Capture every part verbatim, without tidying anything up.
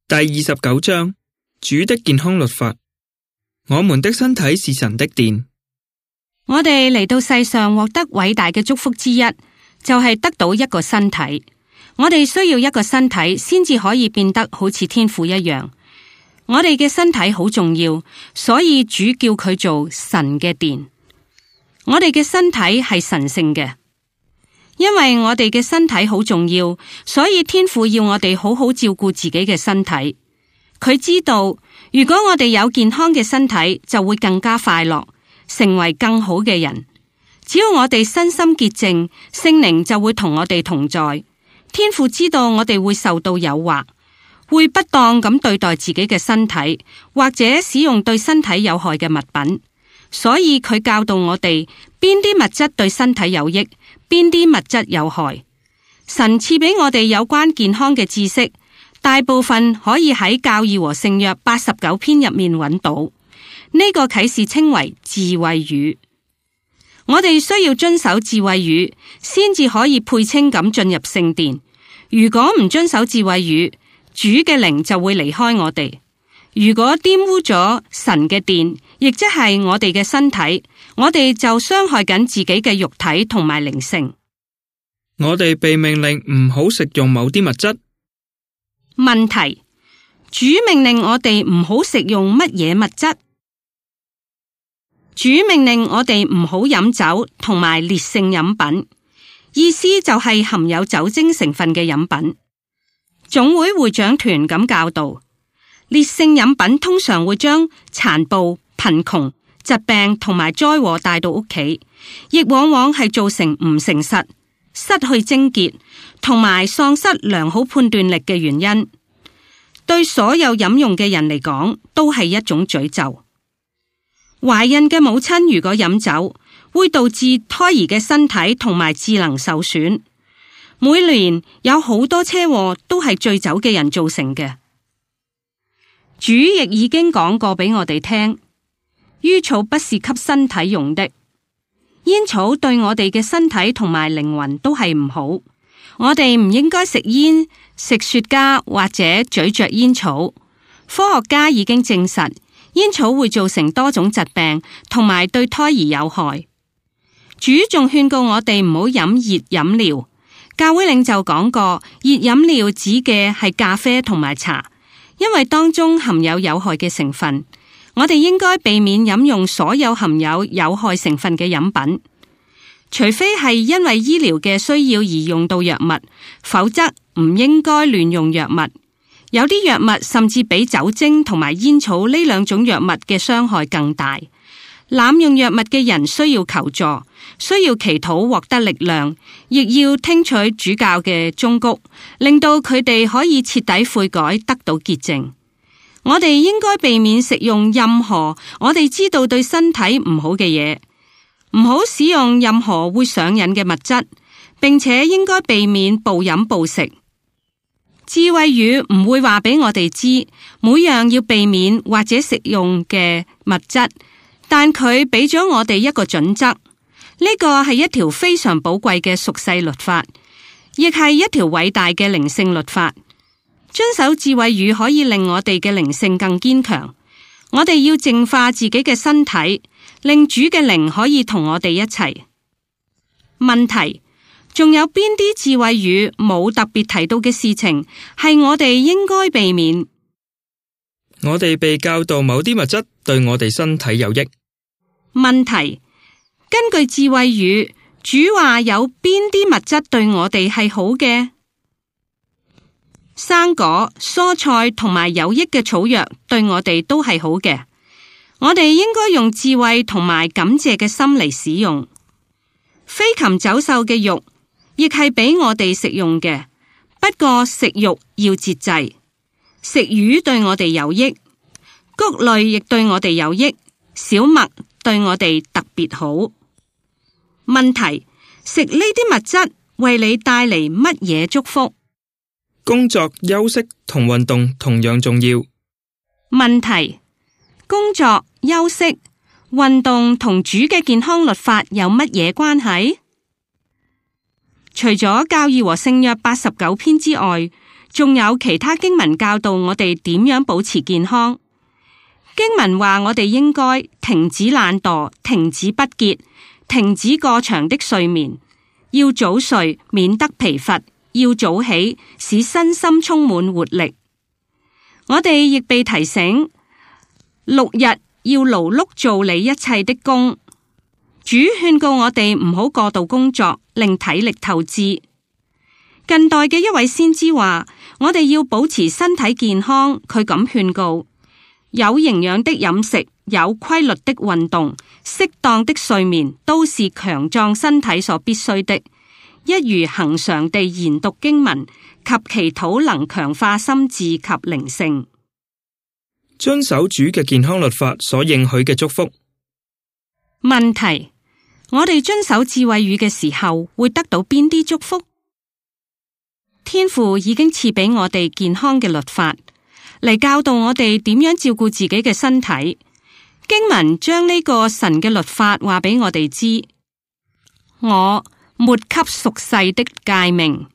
第二十九章，主的健康律法。我們的身體是神的殿。我哋嚟到世上獲得偉大嘅祝福之一，就係得到一個身體。我哋需要一個身體，先至可以變得好似天父一樣。我哋嘅身體好重要，所以主叫佢做神嘅殿。我哋嘅身體係神聖嘅，因為我哋嘅身體好重要，所以天父要我哋好好照顧自己嘅身體。佢知道，如果我哋有健康嘅身體，就會更加快樂，成為更好嘅人。只要我哋身心潔淨，聖靈就會同我哋同在。天父知道我哋會受到誘惑，會不當咁對待自己嘅身體，或者使用對身體有害嘅物品，所以佢教導我哋邊啲物質對身體有益，邊啲物質有害。神賜俾我哋有關健康嘅知識，大部分可以喺教義和聖約八十九篇入面揾到。呢、這個啟示稱為智慧語。我哋需要遵守智慧語，先至可以配稱咁進入聖殿。如果唔遵守智慧語，主嘅靈就會離開我哋。如果玷污咗神嘅殿，亦即係我哋嘅身體，我哋就傷害緊自己嘅肉體同埋靈性。我哋被命令唔好食用某啲物質。問題：主命令我哋唔好食用乜嘢物質？主命令我哋唔好飲酒同埋烈性飲品，意思就係含有酒精成分嘅飲品。總會會長團咁教導，烈性飲品通常會將殘暴、貧窮、疾病同埋災禍帶到屋企，亦往往係造成唔誠實、失去貞潔同埋喪失良好判斷力嘅原因。對所有飲用嘅人嚟講，都係一種詛咒。懷孕嘅母親如果飲酒，會導致胎兒嘅身體同埋智能受損。每年有好多車禍都係醉酒嘅人造成嘅。主亦已經講過俾我哋聽，煙草不是給身體用的。煙草對我哋嘅身體同埋靈魂都係唔好。我哋唔應該食煙、食雪茄或者咀嚼煙草。科學家已經證實，煙草會造成多種疾病，同埋對胎兒有害。主仲勸告我哋唔好飲熱飲料。教會領袖講過，熱飲料指嘅係咖啡同埋茶，因為當中含有有害嘅成分。我哋應該避免飲用所有含有有害成分嘅飲品，除非係因為醫療嘅需要而用到藥物，否則唔應該亂用藥物。有啲藥物甚至比酒精同埋煙草呢兩種藥物嘅傷害更大。濫用藥物嘅人需要求助，需要祈禱獲得力量，亦要聽取主教嘅忠告，令到佢哋可以徹底悔改，得到潔淨。我哋應該避免食用任何我哋知道對身體唔好嘅嘢，唔好使用任何會上癮嘅物質，並且應該避免暴飲暴食。智慧語唔會話俾我哋知每樣要避免或者食用嘅物質，但佢俾咗我哋一個準則，呢個係一條非常寶貴嘅屬世律法，亦係一條偉大嘅靈性律法。遵守智慧語可以令我哋嘅靈性更堅強。我哋要淨化自己嘅身體，令主嘅靈可以同我哋一齊。問題：仲有邊啲智慧語冇特別提到嘅事情係我哋應該避免？我哋被教導某啲物質對我哋身體有益。問題：根據智慧語，主話有邊啲物質對我哋係好嘅？生果、蔬菜同埋有益嘅草藥對我哋都係好嘅。我哋應該用智慧同埋感謝嘅心嚟使用。飛禽走獸嘅肉亦係俾我哋食用嘅，不過食肉要節制。食魚對我哋有益，穀類亦對我哋有益，小麥對我哋特別好。問題：食呢啲物質為你帶嚟乜嘢祝福？工作、休息同運動同樣重要。問題：工作、休息、運動同主嘅健康律法有乜嘢關係？除咗教義和聖約八十九篇之外，仲有其他經文教導我哋點樣保持健康。經文話我哋應該停止懶惰，停止不潔，停止過長的睡眠，要早睡，免得疲乏，要早起，使身心充滿活力。我哋亦被提醒，六日要勞碌做你一切的工。主勸告我哋唔好過度工作，令體力透支。近代嘅一位先知話，我哋要保持身體健康。佢咁勸告：有營養的飲食，有規律的運動，適當的睡眠，都是強壯身體所必須的。一如恆常地研讀經文及祈禱，能強化心智及靈性。遵守主嘅健康律法所應許嘅祝福。問題：我哋遵守智慧語嘅時候，會得到邊啲祝福？天父已經賜俾我哋健康嘅律法，嚟教導我哋點樣照顧自己嘅身體。經文將呢個神嘅律法話俾我哋知：我沒給屬世的誡命，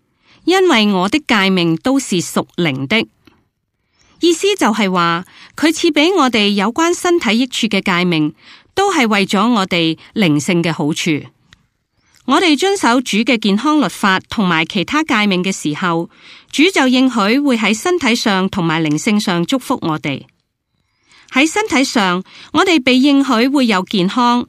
因為我的誡命都是屬靈的。意思就係話，佢賜俾我哋有關身體益處嘅誡命，都係為咗我哋靈性嘅好處。我哋遵守主嘅健康律法同埋其他誡命嘅時候，主就應許會喺身體上同埋靈性上祝福我哋。喺身體上，我哋被應許會有健康，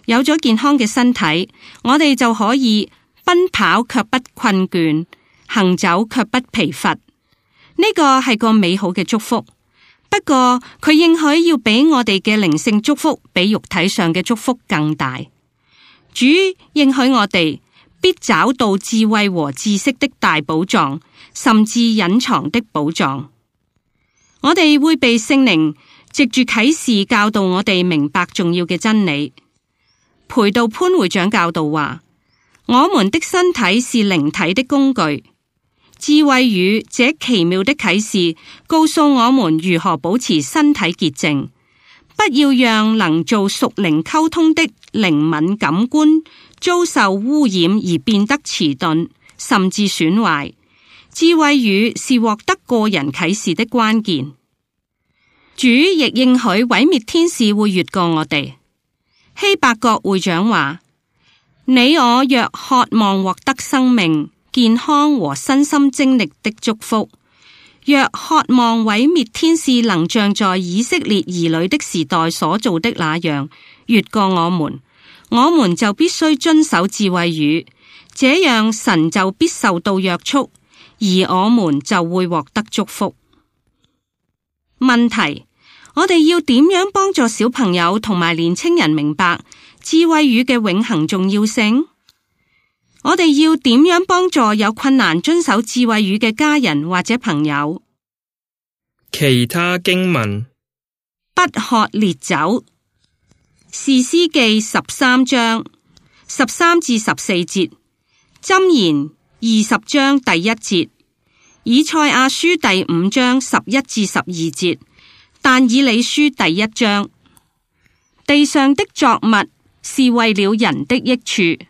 有咗健康嘅身體，我哋就可以奔跑卻不困倦，行走卻不疲乏。呢個係個美好嘅祝福。不過佢應許要俾我哋嘅靈性祝福比肉體上嘅祝福更大。主應許我哋必找到智慧和知識的大寶藏，甚至隱藏的寶藏。我哋會被聖靈藉住啟示教導我哋明白重要嘅真理。培道潘會長教導話：我們的身體是靈體的工具。智慧語這奇妙的啟示告訴我們如何保持身體潔淨，不要讓能做屬靈溝通的靈敏感官遭受污染而變得遲鈍，甚至損壞。智慧語是獲得個人啟示的關鍵。主亦應許毀滅天使會越過我哋。希伯國會長話：你我若渴望獲得生命、健康和身心精力的祝福，若渴望毀滅天使能像在以色列兒女的時代所做的那樣越過我們，我們就必須遵守智慧語，這樣神就必受到約束，而我們就會獲得祝福。問題：我哋要點樣幫助小朋友同埋年青人明白智慧語嘅永恆重要性？我哋要點樣幫助有困難遵守智慧語嘅家人或者朋友？其他經文：不喝烈酒。士師記十三章十三至十四節，箴言二十章第一節，以賽亞書第五章十一至十二節，但以理書第一章。地上的作物是為了人的益處。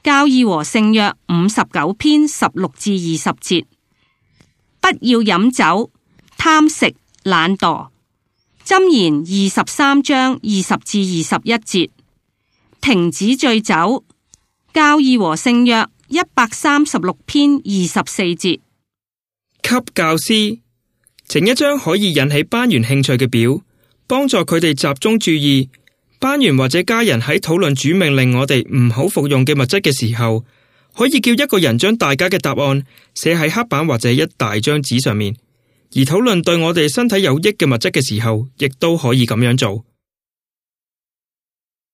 教義和聖約五十九篇十六至二十節，不要飲酒、貪食、懶惰。箴言二十三章二十至二十一節，停止醉酒。教義和聖約一百三十六篇二十四節。給教師整一張可以引起班員興趣嘅表，幫助佢哋集中注意。班員或者家人喺討論主命令我哋唔好服用嘅物質嘅時候，可以叫一個人將大家嘅答案寫喺黑板或者一大張紙上面。而討論對我哋身體有益嘅物質嘅時候，亦都可以咁樣做。